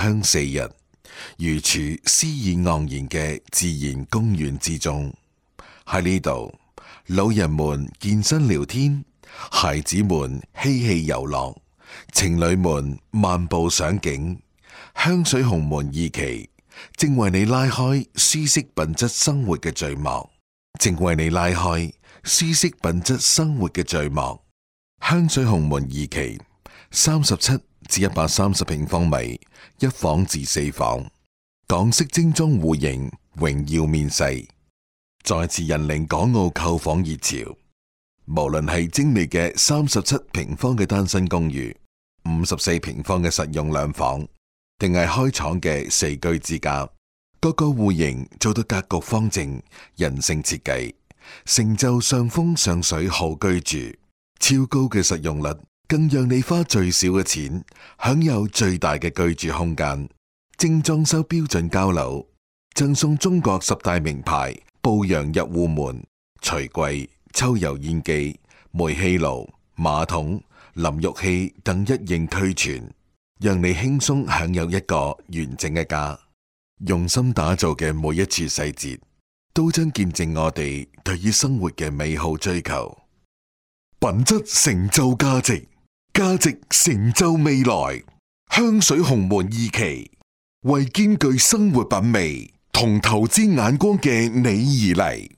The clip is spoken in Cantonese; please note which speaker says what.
Speaker 1: 香四日，如處詩意盎然嘅自然公園之中。喺呢度，老人們健身聊天，孩子們嬉戲遊樂，情侶們漫步賞景。香水鴻門二期正為你拉開舒適品質生活嘅序幕，正為你拉開舒適品質生活嘅序幕。香水鴻門二期37至130平方米，一房至四房，港式精裝戶型榮耀面世，再次引領港澳購房熱潮。無論係精美嘅37平方嘅單身公寓，54平方嘅實用兩房，定係開廠嘅四居之家，各個戶型做到格局方正、人性設計，成就上風上水好居住。超高嘅實用率，更讓你花最少嘅錢，享有最大嘅居住空間。精裝修標準交樓，贈送中國10大名牌步陽入戶門、櫥櫃、抽油煙機、煤氣爐、馬桶、淋浴器等一應俱全，讓你輕鬆享有一個完整嘅家。用心打造嘅每一處細節，都將見證我哋對於生活嘅美好追求。品質成就價值，價值成就未來。香水鴻門二期，為兼具生活品味同投資眼光嘅你而嚟。